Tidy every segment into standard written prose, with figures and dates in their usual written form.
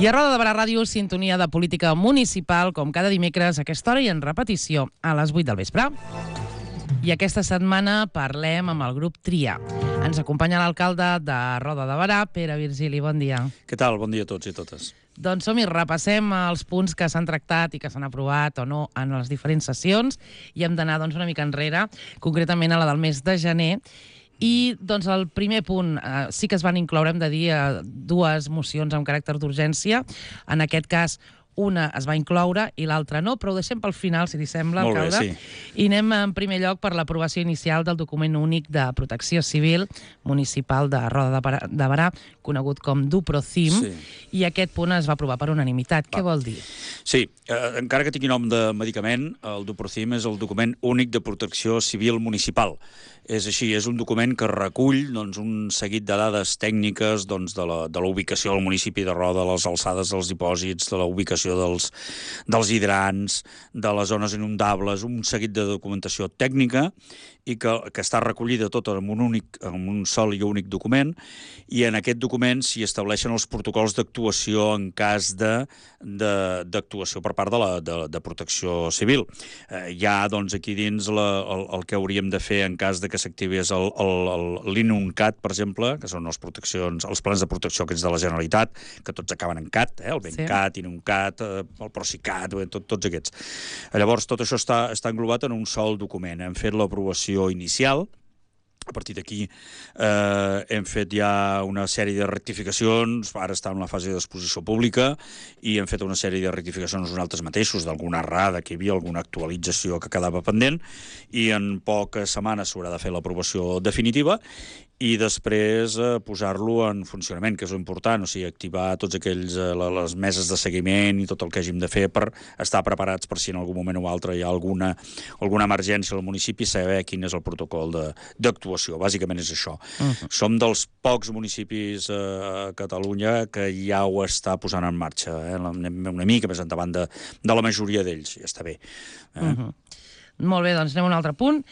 I a Roda de Barà Ràdio, sintonia de política municipal, com cada dimecres a aquesta hora i en repetició a les 8 del vespre. I aquesta setmana parlem amb el grup TRIA. Ens acompanya l'alcalde de Roda de Barà, Pere Virgili. Bon dia. Què tal? Bon dia a tots i totes. Doncs som-hi, repassem els punts que s'han tractat i que s'han aprovat o no en les diferents sessions i hem d'anar una mica enrere, concretament a la del mes de gener. I doncs el primer punt, sí que es van incloure, hem de dir, dues mocions amb caràcter d'urgència. En aquest cas, una es va incloure i l'altra no, però ho deixem pel final, si li sembla, alcalde. Molt bé, sí. I anem en primer lloc per l'aprovació inicial del document únic de protecció civil municipal de Roda de Barà, conegut com DuProCim, Sí. i aquest punt es va aprovar per unanimitat. Què vol dir? Sí, encara que tingui nom de medicament, el DuProCim és el document únic de protecció civil municipal. És així, és un document que recull un seguit de dades tècniques de la ubicació del municipi de Roda, les alçades dels dipòsits, de la ubicació dels hidrants, de les zones inundables, un seguit de documentació tècnica i que està recollida tota en un sol i únic document, i en aquest document s'hi estableixen els protocols d'actuació en cas d'actuació per part de protecció civil. Hi ha, aquí dins el que hauríem de fer en cas de que s'activés l'INUNCAT, per exemple, que són els plans de protecció aquests de la Generalitat, que tots acaben en CAT, el BENCAT, INUNCAT, el PROCICAT, tots aquests. Llavors, tot això està englobat en un sol document. Hem fet l'aprovació inicial. A partir d'aquí hem fet ja una sèrie de rectificacions, ara està en la fase d'exposició pública, i hem fet una sèrie de rectificacions nosaltres mateixos, d'alguna errada que hi havia, alguna actualització que quedava pendent, i en poques setmanes s'haurà de fer l'aprovació definitiva, i després posar-lo en funcionament, que és important, o sigui, activar tots aquells, les meses de seguiment i tot el que hàgim de fer per estar preparats per si en algun moment o altre hi ha alguna emergència al municipi, saber quin és el protocol d'actuació. Bàsicament és això. Som dels pocs municipis a Catalunya que ja ho està posant en marxa, una mica més endavant de la majoria d'ells, ja està bé. Molt bé, doncs anem a un altre punt.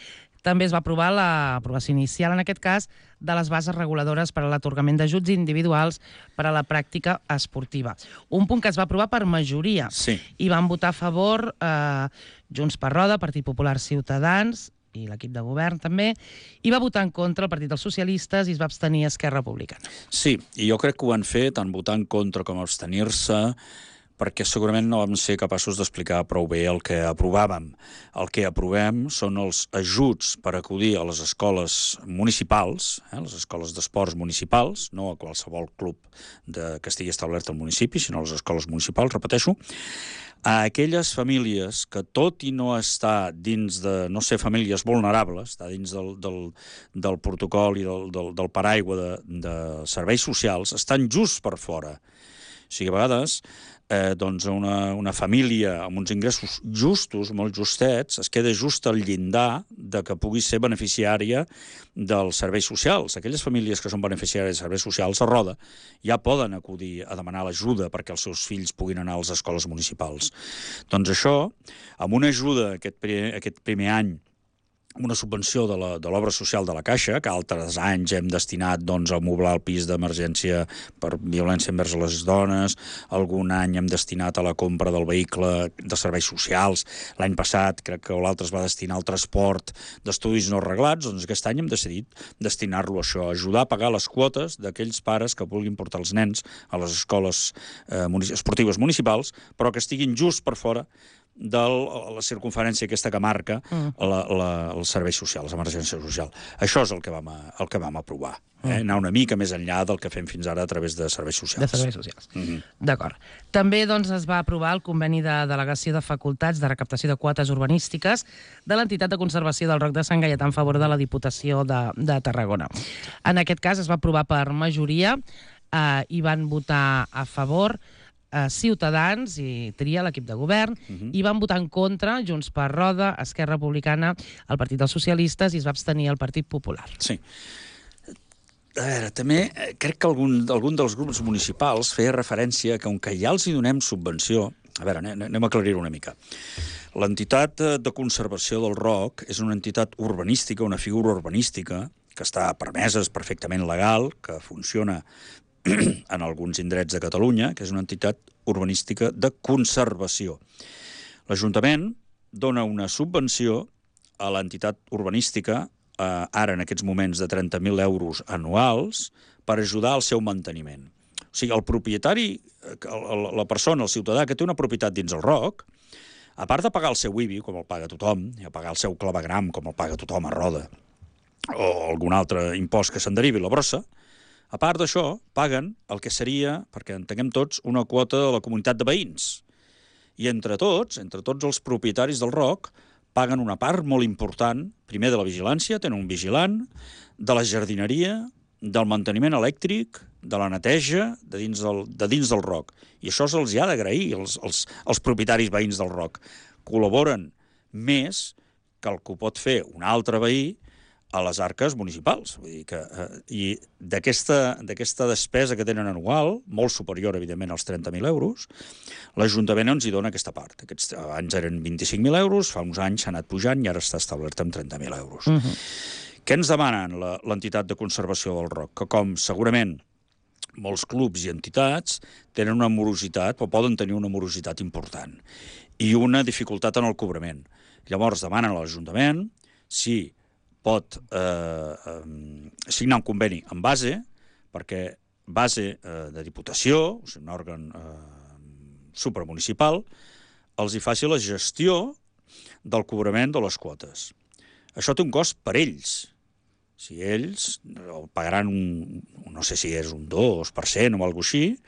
També es va aprovar l'aprovació inicial, en aquest cas, de les bases reguladores per a l'atorgament d'ajuts individuals per a la pràctica esportiva. Un punt que es va aprovar per majoria. Sí. I van votar a favor Junts per Roda, Partit Popular, Ciutadans i l'equip de govern també, i va votar en contra el Partit dels Socialistes i es va abstenir Esquerra Republicana. Sí, i jo crec que ho han fet, tant votar en contra com abstenir-se, perquè segurament no vam ser capaços d'explicar prou bé el que aprovàvem. El que aprovem són els ajuts per acudir a les escoles municipals, les escoles d'esports municipals, no a qualsevol club que estigui establert al municipi, sinó a les escoles municipals, repeteixo, a aquelles famílies que, tot i no estar dins de no ser famílies vulnerables, està dins del protocol i del paraigua de serveis socials, estan just per fora. O sigui, a vegades una família amb uns ingressos justos, molt justets, es queda just al llindar de que pugui ser beneficiària dels serveis socials. Aquelles famílies que són beneficiàries de serveis socials a Roda ja poden acudir a demanar l'ajuda perquè els seus fills puguin anar a les escoles municipals. Doncs això, amb una ajuda aquest primer any, una subvenció de l'obra social de la Caixa, que altres anys hem destinat a moblar el pis d'emergència per violència envers les dones, algun any hem destinat a la compra del vehicle de serveis socials, l'any passat crec que l'altre es va destinar al transport d'estudis no reglats, doncs aquest any hem decidit destinar-lo a això, ajudar a pagar les quotes d'aquells pares que vulguin portar els nens a les escoles esportives municipals, però que estiguin just per fora de la circunferència aquesta que marca els serveis socials, l'emergència social. Això és el que vam aprovar. Anar una mica més enllà del que fem fins ara a través de serveis socials. De serveis socials. D'acord. També es va aprovar el conveni de delegació de facultats de recaptació de quotes urbanístiques de l'entitat de conservació del Roc de Sant Gaietà en favor de la Diputació de Tarragona. En aquest cas es va aprovar per majoria i van votar a favor Ciutadans i TRIA, l'equip de govern, i van votar en contra Junts per Roda, Esquerra Republicana, el Partit dels Socialistes, i es va abstenir el Partit Popular. Sí. A veure, també crec que algun dels grups municipals feia referència que, com que ja els hi donem subvenció, a veure, anem a aclarir-ho una mica. L'entitat de conservació del Roc és una entitat urbanística, una figura urbanística, que està permesa, és perfectament legal, que funciona en alguns indrets de Catalunya, que és una entitat urbanística de conservació. L'Ajuntament dona una subvenció a l'entitat urbanística, ara en aquests moments de 30.000 euros anuals, per ajudar al seu manteniment. O sigui, el propietari, la persona, el ciutadà que té una propietat dins el ROC, a part de pagar el seu IBI, com el paga tothom, i a pagar el seu clavegram, com el paga tothom a Roda, o algun altre impost que se'n derivi la brossa, a part d'això, paguen el que seria, perquè entenguem tots, una quota de la comunitat de veïns. I entre tots els propietaris del ROC, paguen una part molt important, primer de la vigilància, tenen un vigilant, de la jardineria, del manteniment elèctric, de la neteja de dins del ROC. I això se'ls ha d'agrair, els propietaris veïns del ROC. Col·laboren més que el que ho pot fer un altre veí a les arques municipals. Vull dir que, i d'aquesta despesa que tenen anual, molt superior, evidentment, als 30.000 euros, l'Ajuntament ens hi dona aquesta part. Abans eren 25.000 euros, fa uns anys s'ha anat pujant i ara està establert amb 30.000 euros. Què ens demanen l'entitat de conservació del ROC? Que com segurament molts clubs i entitats tenen una morositat, o poden tenir una morositat important, i una dificultat en el cobrament. Llavors demanen a l'Ajuntament si pot signar un conveni amb base, perquè base de Diputació, o sigui, un òrgan supramunicipal, els hi faci la gestió del cobrament de les quotes. Això té un cost per ells. Si ells pagaran no sé si és un 2% o alguna cosa així,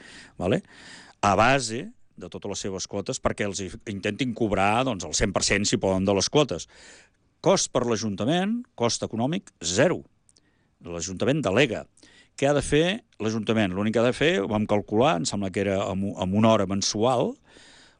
a base de totes les seves quotes, perquè els intentin cobrar el 100% si poden de les quotes. Cost per l'Ajuntament, cost econòmic, 0. L'Ajuntament delega. Què ha de fer l'Ajuntament? L'únic que ha de fer, ho vam calcular, em sembla que era amb una hora mensual,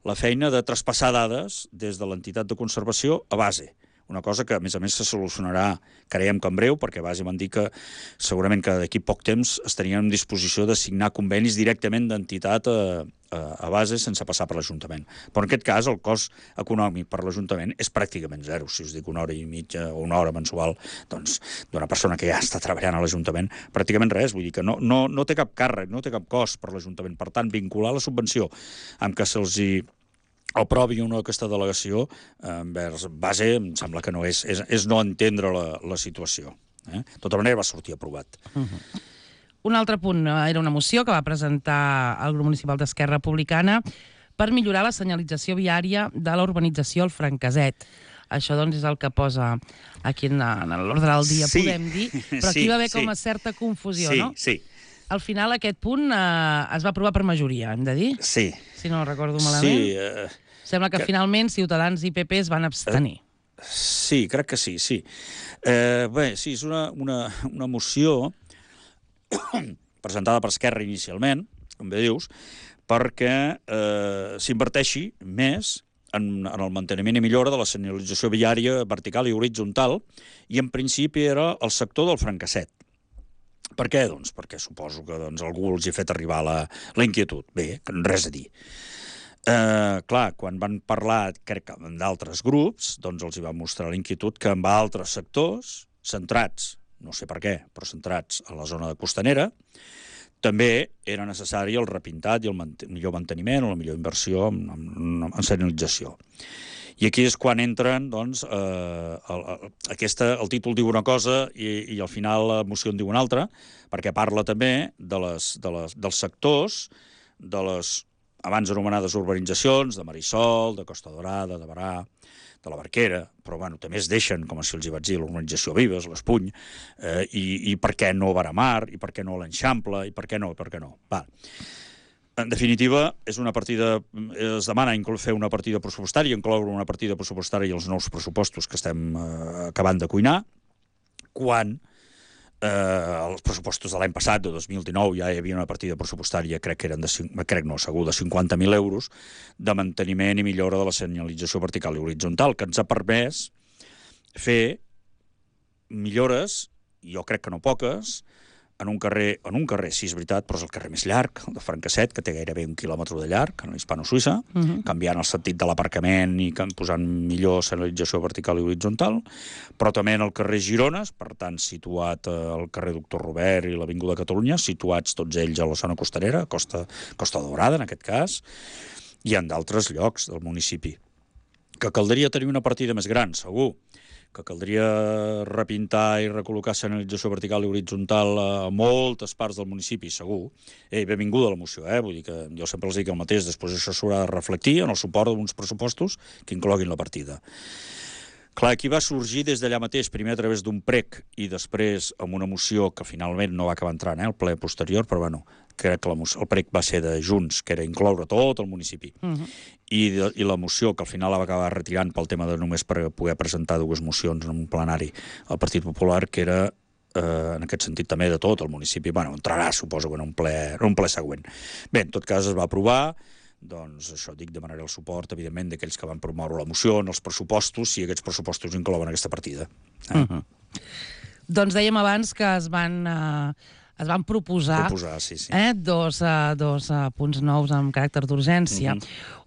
la feina de traspassar dades des de l'entitat de conservació a base. Una cosa que, a més, se solucionarà, creiem que en breu, perquè base m'han dit que segurament que d'aquí poc temps estarien en disposició de signar convenis directament d'entitat a base sense passar per l'Ajuntament. Però en aquest cas el cost econòmic per l'Ajuntament és pràcticament 0. Si us dic una hora i mitja o una hora mensual, doncs d'una persona que ja està treballant a l'Ajuntament, pràcticament res. Vull dir que no té cap càrrec, no té cap cost per l'Ajuntament. Per tant, vincular la subvenció amb que se'ls hi aprovi una aquesta delegació envers base, em sembla que no és no entendre la situació. De tota manera va sortir aprovat. Un altre punt era una moció que va presentar el grup municipal d'Esquerra Republicana per millorar la senyalització viària de la urbanització al Franqueset. Això, doncs, és el que posa aquí en l'ordre del dia, podem dir, però aquí va haver com a certa confusió, no? Sí. Al final aquest punt es va aprovar per majoria, hem de dir? Sí. Si no recordo malament. Sí. Sembla que finalment Ciutadans i PP es van abstenir. Sí, crec que sí. Bé, sí, és una moció presentada per Esquerra inicialment, com bé dius, perquè s'inverteixi més en el manteniment i millora de la senyalització viària vertical i horitzontal, i en principi era el sector del Franqueset. Per què? Doncs perquè suposo que algú els hi ha fet arribar la inquietud. Bé, res a dir. Clar, quan van parlar, crec que amb d'altres grups, doncs els hi va mostrar la inquietud que amb altres sectors, centrats, no sé per què, però centrats a la zona de costanera, també era necessari el repintat i el millor manteniment o la millor inversió en senyalització. I aquí és quan entren, doncs, el títol diu una cosa i al final la moció en diu una altra, perquè parla també dels sectors, de les abans anomenades urbanitzacions, de Marisol, de Costa Dorada, de Barà, de la Barquera, però també es deixen, com si els hi vaig dir, l'urbanització Vives, l'Espuny, i per què no Baramar, i per què no l'Enxample, i per què no. Va. En definitiva, es demana fer una partida pressupostària, incloure una partida pressupostària i els nous pressupostos que estem acabant de cuinar, quan els pressupostos de l'any passat, de 2019, ja hi havia una partida pressupostària, segur, de 50.000 euros, de manteniment i millora de la senyalització vertical i horitzontal, que ens ha permès fer millores, jo crec que no poques, en un carrer, sí, és veritat, però és el carrer més llarg, el de Francasset, que té gairebé 1 quilòmetre de llarg, en l'Hispano-Suïssa, canviant el sentit de l'aparcament i posant millor senyalització vertical i horitzontal, però també en el carrer Girones, per tant, situat al carrer Doctor Robert i l'Avinguda Catalunya, situats tots ells a la zona costanera, Costa Daurada, en aquest cas, i en d'altres llocs del municipi. Que caldria tenir una partida més gran, segur, que caldria repintar i recol·locar senyalització vertical i horitzontal a moltes parts del municipi, segur. Benvinguda a la moció, vull dir que jo sempre els dic el mateix, després això s'haurà de reflectir en el suport d'uns pressupostos que incloguin la partida. Clar, aquí va sorgir des d'allà mateix, primer a través d'un prec i després amb una moció que finalment no va acabar entrant, el ple posterior, però bueno, crec que el prec va ser de Junts, que era incloure tot el municipi. I la moció, que al final la va acabar retirant pel tema de només per poder presentar 2 mocions en un plenari al Partit Popular, que era, en aquest sentit, també de tot el municipi. Bueno, entrarà, suposo, en un ple següent. Bé, en tot cas es va aprovar, doncs això dic, demanaré el suport, evidentment, d'aquells que van promoure la moció en els pressupostos, si aquests pressupostos inclouen aquesta partida. Doncs dèiem abans que es van proposar sí. dos punts nous amb caràcter d'urgència.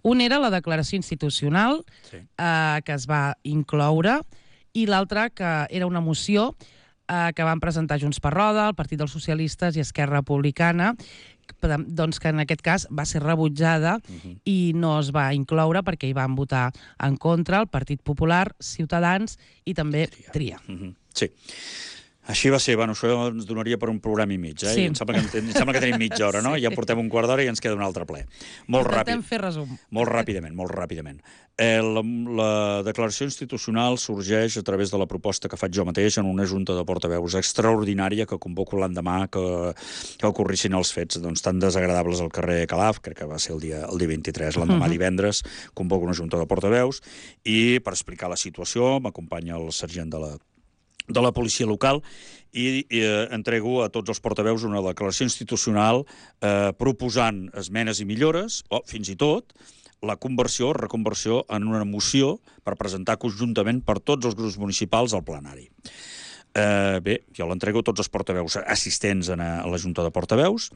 Un era la declaració institucional, que es va incloure, i l'altre que era una moció que van presentar Junts per Roda, el Partit dels Socialistes i Esquerra Republicana, doncs que en aquest cas va ser rebutjada i no es va incloure perquè hi van votar en contra el Partit Popular, Ciutadans i també Tria. Sí. Així va ser, bueno, això ens donaria per un programa i mig, Sí. Em sembla que tenim mitja hora, no? Ja portem un quart d'hora i ens queda un altre ple. Molt ràpid. Intentem fer resum. Molt ràpidament. La declaració institucional sorgeix a través de la proposta que faig jo mateix en una junta de portaveus extraordinària que convoco l'endemà que ocorrissin els fets tan desagradables al carrer Calaf, crec que va ser el dia 23, l'endemà divendres, convoco una junta de portaveus i per explicar la situació m'acompanya el sergent de la policia local i entrego a tots els portaveus una declaració institucional proposant esmenes i millores, o fins i tot la reconversió en una moció per presentar conjuntament per tots els grups municipals al plenari. Bé, jo l'entrego a tots els portaveus assistents a la Junta de Portaveus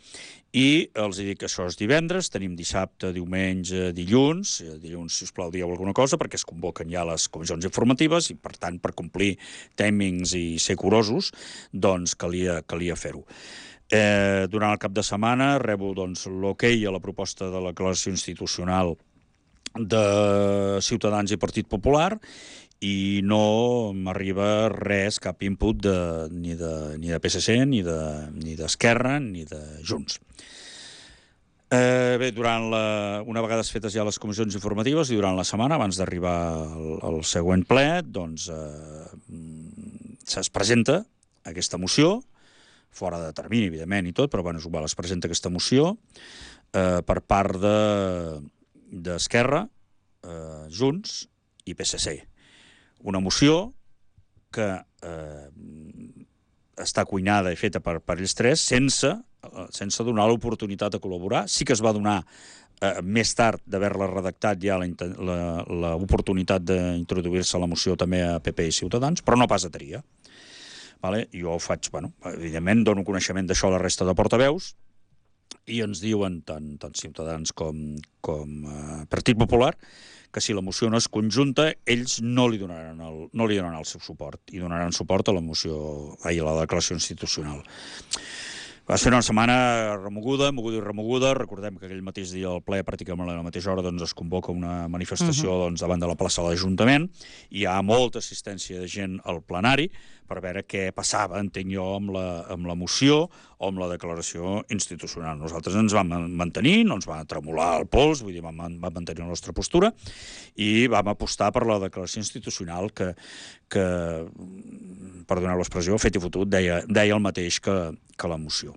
i els dic que això és divendres, tenim dissabte, diumenge, dilluns, si us plau, dieu alguna cosa, perquè es convoquen ja les comissions informatives i, per tant, per complir timings i ser curosos, doncs calia fer-ho. Durant el cap de setmana rebo l'okei a la proposta de la declaració institucional de Ciutadans i Partit Popular i no m'arriba res, cap input ni de PSC, ni d'Esquerra, ni de Junts. Bé, una vegada fetes ja les comissions informatives i durant la setmana, abans d'arribar al següent ple, doncs es presenta aquesta moció, fora de termini, evidentment, i tot, però bueno, es presenta aquesta moció per part d'Esquerra, Junts i PSC. Una moció que està cuinada i feta per ells tres sense donar l'oportunitat de col·laborar. Sí que es va donar més tard d'haver-la redactat ja l'oportunitat d'introduir-se a la moció també a PP i Ciutadans, però no pas a Tria. Jo faig, evidentment, dono coneixement d'això a la resta de portaveus i ens diuen tant Ciutadans com Partit Popular que si la moció no és conjunta, ells no li donaran el seu suport i donaran suport a la declaració institucional. Va ser una setmana moguda i remoguda. Recordem que aquell mateix dia al ple, pràcticament a la mateixa hora, es convoca una manifestació davant de la plaça de l'Ajuntament. Hi ha molta assistència de gent al plenari per veure què passava, entenc jo, amb la moció o amb la declaració institucional. Nosaltres ens vam mantenir, no ens va tremolar el pols, vull dir, vam mantenir la nostra postura i vam apostar per la declaració institucional que perdoneu l'expressió, fet i fotut, deia el mateix que la moció.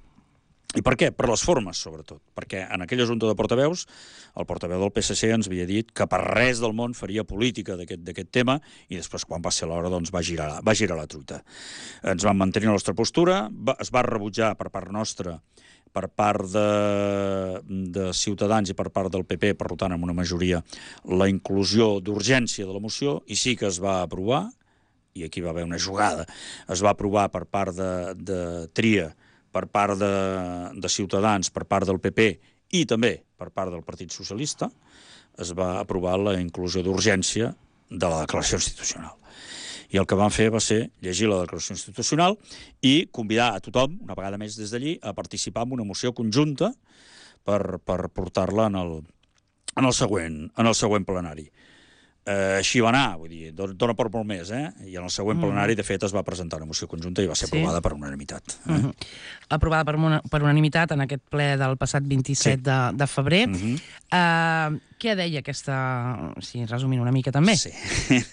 I per què? Per les formes, sobretot. Perquè en aquella junta de portaveus, el portaveu del PSC ens havia dit que per res del món faria política d'aquest tema i després, quan va ser l'hora, doncs va girar la truita. Ens vam mantenir la nostra postura, es va rebutjar per part nostra, per part de Ciutadans i per part del PP, per tant, amb una majoria, la inclusió d'urgència de la moció, i sí que es va aprovar, i aquí va haver una jugada, es va aprovar per part de Tria, per part de Ciutadans, per part del PP i també per part del Partit Socialista, es va aprovar la inclusió d'urgència de la declaració institucional. I el que van fer va ser llegir la declaració institucional i convidar a tothom, una vegada més des d'allí, a participar en una moció conjunta per portar-la en el següent plenari. Així va anar, vull dir, dona per molt més, I en el següent plenari, de fet, es va presentar una moció conjunta i va ser aprovada per unanimitat. Aprovada per unanimitat en aquest ple del passat 27 de febrer. Què deia aquesta... Sí, resumint una mica també. Sí.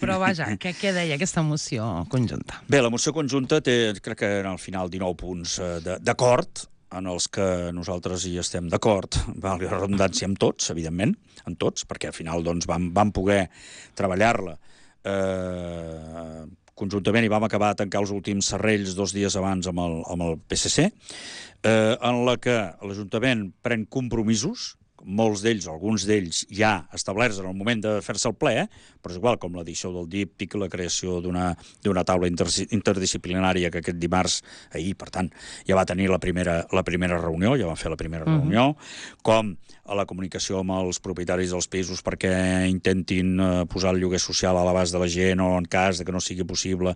Però vaja, què deia aquesta moció conjunta? Bé, la moció conjunta té, crec que al final, 19 punts d'acord, en els que nosaltres hi estem d'acord, valgui la redundància, amb tots, evidentment, amb tots, perquè al final doncs, vam poder treballar-la conjuntament i vam acabar de tancar els últims serrells 2 dies abans amb el PSC, en la que l'Ajuntament pren compromisos, molts d'ells, alguns d'ells ja establerts en el moment de fer-se el ple, però és igual, com l'edició del díptic, la creació d'una taula interdisciplinària que aquest dimarts, ahir, per tant, ja va tenir la primera reunió, ja van fer la primera reunió, com a la comunicació amb els propietaris dels pisos perquè intentin posar el lloguer social a l'abast de la gent o en cas de que no sigui possible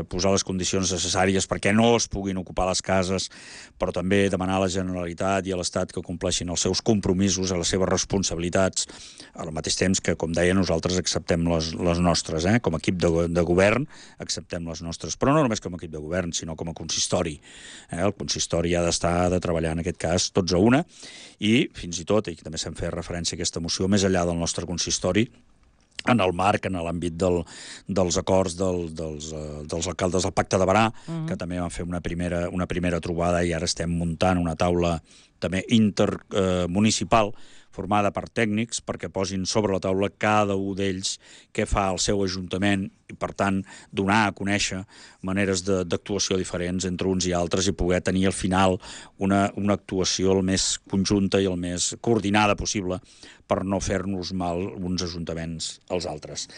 posar les condicions necessàries perquè no es puguin ocupar les cases, però també demanar a la Generalitat i a l'Estat que compleixin els seus compromisos, a les seves responsabilitats, al mateix temps que, com deia, nosaltres acceptem les nostres, com a equip de govern acceptem les nostres, però no només com a equip de govern, sinó com a consistori. El consistori ha de treballar en aquest cas tots a una i fins i tot, i també se'n feia referència a aquesta moció, més enllà del nostre consistori, en el marc, en l'àmbit dels acords dels alcaldes del Pacte de Berà, que també van fer una primera trobada i ara estem muntant una taula també intermunicipal formada per tècnics perquè posin sobre la taula cada un d'ells què fa el seu ajuntament i, per tant, donar a conèixer maneres d'actuació diferents entre uns i altres i poder tenir al final una actuació el més conjunta i el més coordinada possible per no fer-nos mal uns ajuntaments als altres.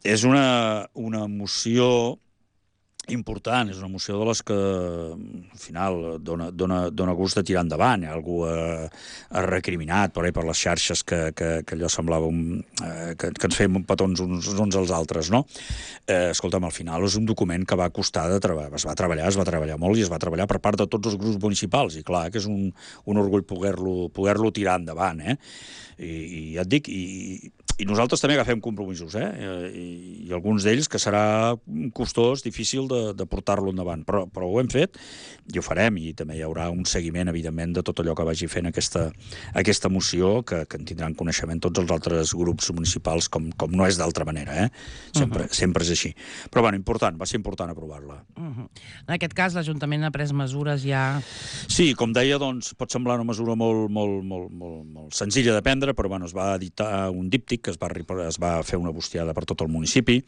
És una moció important, és una moció de les que al final dona gust de tirar endavant. Hi ha algú ha recriminat per les xarxes que allò semblava que ens fèiem petons uns als altres, no? Escolta'm, al final és un document que va costar de treballar, es va treballar molt i es va treballar per part de tots els grups municipals i clar, que és un orgull poder-lo tirar endavant, i ja et dic, i nosaltres també agafem compromisos, i alguns d'ells que serà costós, difícil de portar-lo endavant, però ho hem fet i ho farem, i també hi haurà un seguiment, evidentment, de tot allò que vagi fent aquesta moció, que en tindran coneixement tots els altres grups municipals, com no és d'altra manera, sempre és així. Però, bueno, va ser important aprovar-la. En aquest cas, l'Ajuntament ha pres mesures ja... Sí, com deia, doncs, pot semblar una mesura molt senzilla de prendre, però, bueno, es va editar un díptic que es va fer una bustiada per tot el municipi,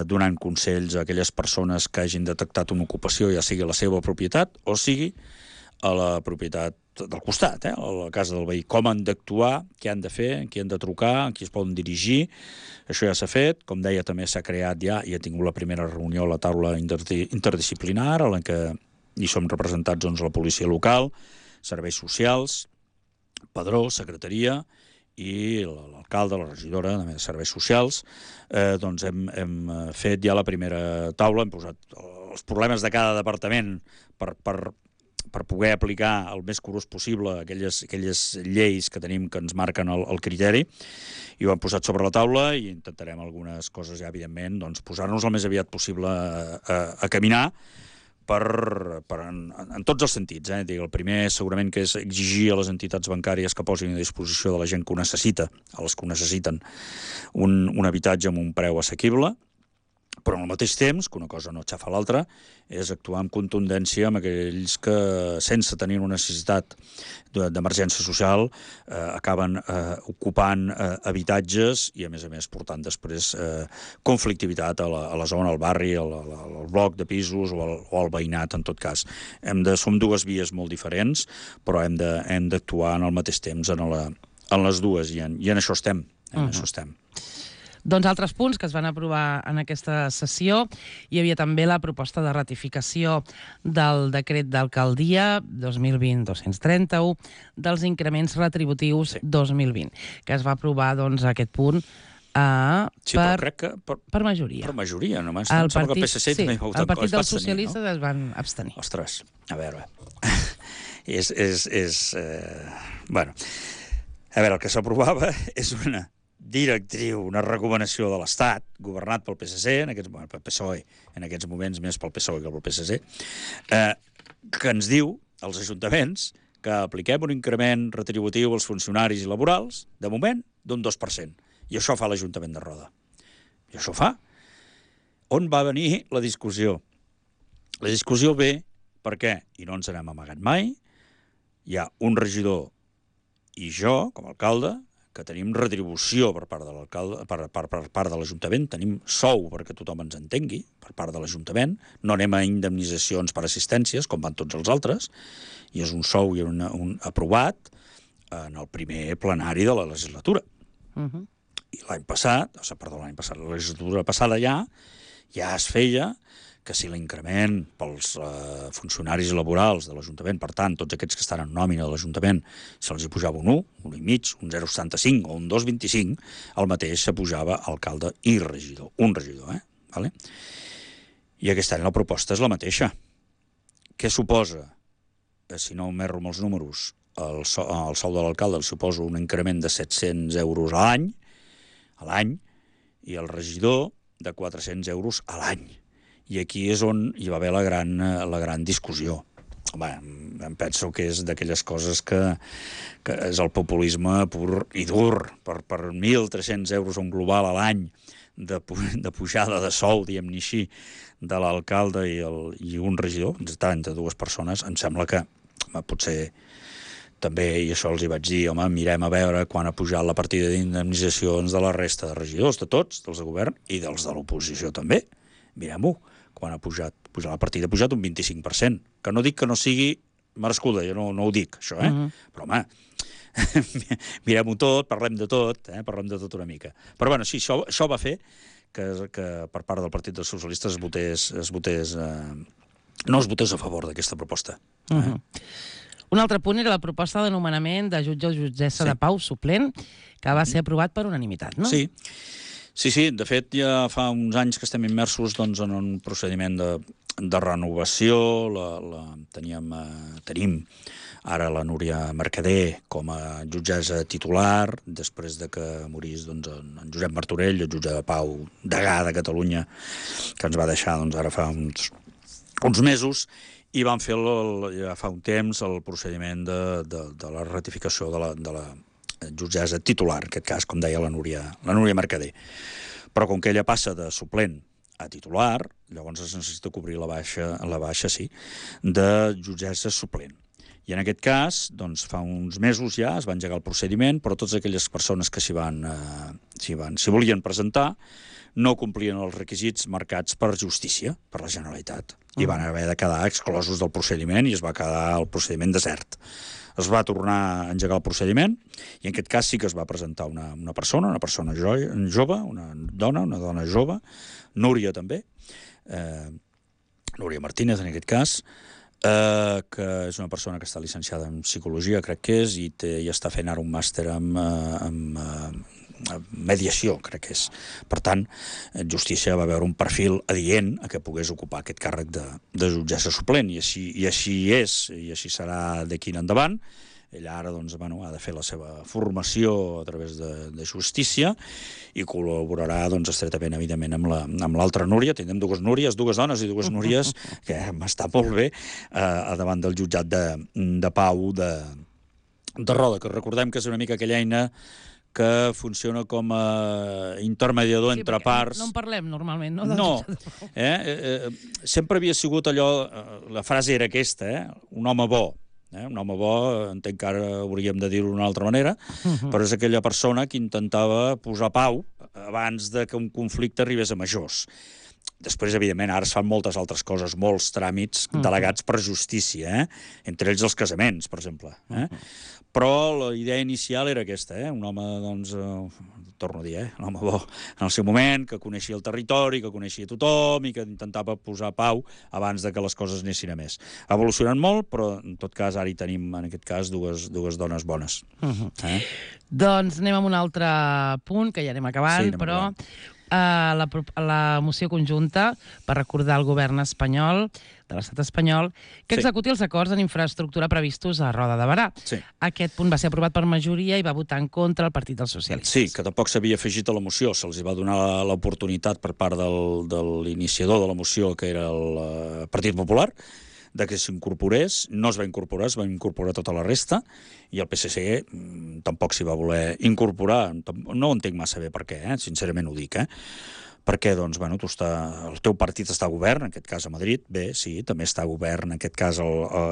donant consells a aquelles persones que hagin detectat una ocupació, ja sigui a la seva propietat o sigui a la propietat del costat, a la casa del veí. Com han d'actuar, què han de fer, qui han de trucar, a qui es poden dirigir. Això ja s'ha fet. Com deia, també s'ha creat ja, i ha tingut la primera reunió a la taula interdisciplinar, en la que hi som representats doncs, la policia local, serveis socials, padró, secretaria, i l'alcalde, la regidora de serveis socials, doncs hem fet ja la primera taula, hem posat els problemes de cada departament per poder aplicar el més curós possible aquelles lleis que tenim que ens marquen el criteri, i ho hem posat sobre la taula i intentarem algunes coses ja, evidentment, doncs posar-nos el més aviat possible a caminar, en tots els sentits. El primer segurament que és exigir a les entitats bancàries que posin a disposició de la gent que ho necessita, a les que ho necessiten, un habitatge amb un preu assequible, però al mateix temps, que una cosa no xafa l'altra, és actuar amb contundència amb aquells que, sense tenir una necessitat d'emergència social, acaben ocupant habitatges i, a més, portant després conflictivitat a la zona, al barri, al bloc de pisos o al veïnat, en tot cas. Som dues vies molt diferents, però hem d'actuar en el mateix temps en les dues, i en això estem. Doncs altres punts que es van aprovar en aquesta sessió, hi havia també la proposta de ratificació del decret d'alcaldia 2020-231 dels increments retributius 2020, que es va aprovar doncs, aquest punt Sí, però crec que per majoria. Per majoria, només. Em sembla que el PSC també va votar el Partit dels Socialistes es van abstenir. Ostres, a veure... Bueno, a veure, el que s'aprovava és una directriu, una recomanació de l'Estat, governat pel PSC, pel PSOE, en aquests moments més pel PSOE que pel PSC, que ens diu, als ajuntaments, que apliquem un increment retributiu als funcionaris i laborals, de moment, d'un 2%. I això fa l'Ajuntament de Roda. I això fa. On va venir la discussió? La discussió ve perquè, i no ens n'hem amagat mai, hi ha un regidor i jo, com a alcalde, que tenim retribució per part de l'alcalde, per part de l'Ajuntament, tenim sou perquè tothom ens entengui, per part de l'Ajuntament, no anem a indemnitzacions per assistències, com van tots els altres, i és un sou i un aprovat en el primer plenari de la legislatura. I l'any passat, la legislatura passada ja es feia que si l'increment pels funcionaris laborals de l'Ajuntament, per tant, tots aquests que estan en nòmina de l'Ajuntament, se'ls hi pujava un 1, un 1,5, un 0,75 o un 2,25, el mateix s'apujava alcalde i regidor. Un regidor, Vale? I aquest any la proposta és la mateixa. Què suposa? Si no m'erro amb els números, el sou de l'alcalde el suposa un increment de 700 euros a l'any, i el regidor de 400 euros a l'any. I aquí és on hi va haver la gran discussió. Home, em penso que és d'aquelles coses que és el populisme pur i dur. Per 1.300 euros un global a l'any de pujada de sou, diguem-ne així, de l'alcalde i un regidor, entre dues persones, em sembla que potser també, i això els hi vaig dir, home, mirem a veure quan ha pujat la partida d'indemnitzacions de la resta de regidors, de tots, dels de govern i dels de l'oposició també. Mirem-ho, quan ha pujat la partida ha pujat un 25%, que no dic que no sigui merescuda, jo no ho dic, això, però, home, mirem-ho tot, parlem de tot una mica. Però, bueno, sí, això va fer que per part del Partit dels Socialistes no es votés a favor d'aquesta proposta. Un altre punt era la proposta de nomenament de jutge o jutgessa de pau suplent, que va ser aprovat per unanimitat, no? Sí. De fet, ja fa uns anys que estem immersos en un procediment de renovació. Tenim ara la Núria Mercader com a jutgessa titular, després de que morís en Josep Martorell, el jutge de pau degà de Catalunya, que ens va deixar ara fa uns mesos, i van fer ja fa un temps el procediment de la ratificació de la jutgessa titular, en aquest cas, com deia la Núria Mercader. Però com que ella passa de suplent a titular, llavors es necessita cobrir la baixa de jutgessa suplent. I en aquest cas, fa uns mesos ja es va engegar el procediment, però totes aquelles persones que s'hi volien presentar no complien els requisits marcats per justícia, per la Generalitat, i van haver de quedar exclosos del procediment i es va quedar el procediment desert. Es va tornar a engegar el procediment i en aquest cas sí que es va presentar una persona jove, una dona jove, Núria també, Núria Martínez en aquest cas, que és una persona que està llicenciada en psicologia, crec que és, i està fent ara un màster en mediació, crec que és. Per tant, Justícia va veure un perfil adient a que pogués ocupar aquest càrrec de jutgessa suplent, i així és, i així serà d'aquí en endavant. Ella ara ha de fer la seva formació a través de Justícia i col·laborarà estretament, evidentment, amb l'altra Núria. Tindrem dues Núries, dues dones i dues Núries, que m'està molt bé, davant del jutjat de pau de Roda, que recordem que és una mica aquella eina que funciona com a intermediador entre parts. No en parlem normalment, no? No. Sempre havia sigut allò, la frase era aquesta, un home bo. Un home bo, entenc que ara hauríem de dir-ho d'una altra manera, però és aquella persona que intentava posar pau abans de que un conflicte arribés a majors. Després, evidentment, ara es fan moltes altres coses, molts tràmits delegats per justícia, entre ells els casaments, per exemple. Però la idea inicial era aquesta, un home, doncs, torno a dir, un home bo en el seu moment, que coneixia el territori, que coneixia tothom i que intentava posar pau abans de que les coses anessin a més. Ha evolucionat molt, però en tot cas ara hi tenim, en aquest cas, dues dones bones. Doncs anem amb un altre punt, que ja anem acabant, però la moció conjunta per recordar al govern espanyol, de l'estat espanyol, que executi els acords en infraestructura previstos a Roda de Berà. Aquest punt va ser aprovat per majoria i va votar en contra el Partit dels Socialistes. Sí, que tampoc s'havia afegit a la moció. Se'ls va donar l'oportunitat per part de l'iniciador de la moció, que era el Partit Popular, de que s'incorporés. No es va incorporar, es va incorporar tota la resta, i el PSC tampoc s'hi va voler incorporar. No ho entenc massa bé per què, sincerament ho dic, perquè, doncs, bueno, el teu partit està a govern, en aquest cas a Madrid, bé, sí, també està a govern, en aquest cas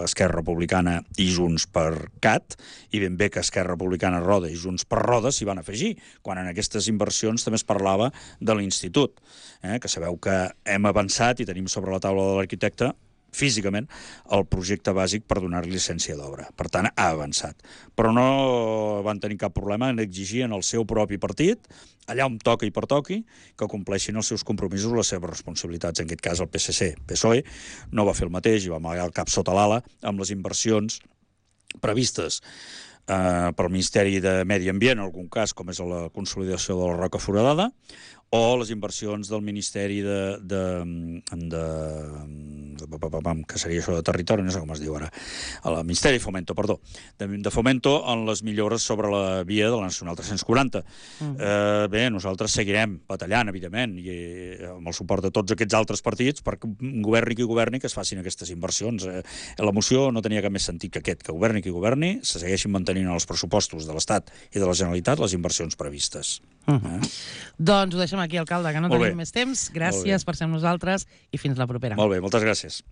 Esquerra Republicana i Junts per Cat, i ben bé que Esquerra Republicana Roda i Junts per Roda s'hi van afegir, quan en aquestes inversions també es parlava de l'Institut, que sabeu que hem avançat i tenim sobre la taula de l'arquitecte físicament el projecte bàsic per donar llicència d'obra. Per tant, ha avançat. Però no van tenir cap problema en exigir en el seu propi partit, allà on toca i pertoqui, que compleixin els seus compromisos, les seves responsabilitats. En aquest cas, el PSC-PSOE no va fer el mateix i va amagar el cap sota l'ala amb les inversions previstes pel Ministeri de Medi Ambient, en algun cas, com és la consolidació de la Roca Foradada, o les inversions del Ministeri que seria això de territori, no sé com es diu ara, el Ministeri de Fomento, perdó, de Fomento en les millores sobre la via de la Nacional 340. Bé, nosaltres seguirem batallant, evidentment, i amb el suport de tots aquests altres partits, perquè governi qui governi, que es facin aquestes inversions. La moció no tenia cap més sentit que aquest, que governi qui governi, se segueixin mantenint en els pressupostos de l'Estat i de la Generalitat les inversions previstes. Doncs ho deixem aquí, alcalde, que no tenim més temps. Gràcies per ser amb nosaltres i fins la propera. Molt bé, moltes gràcies.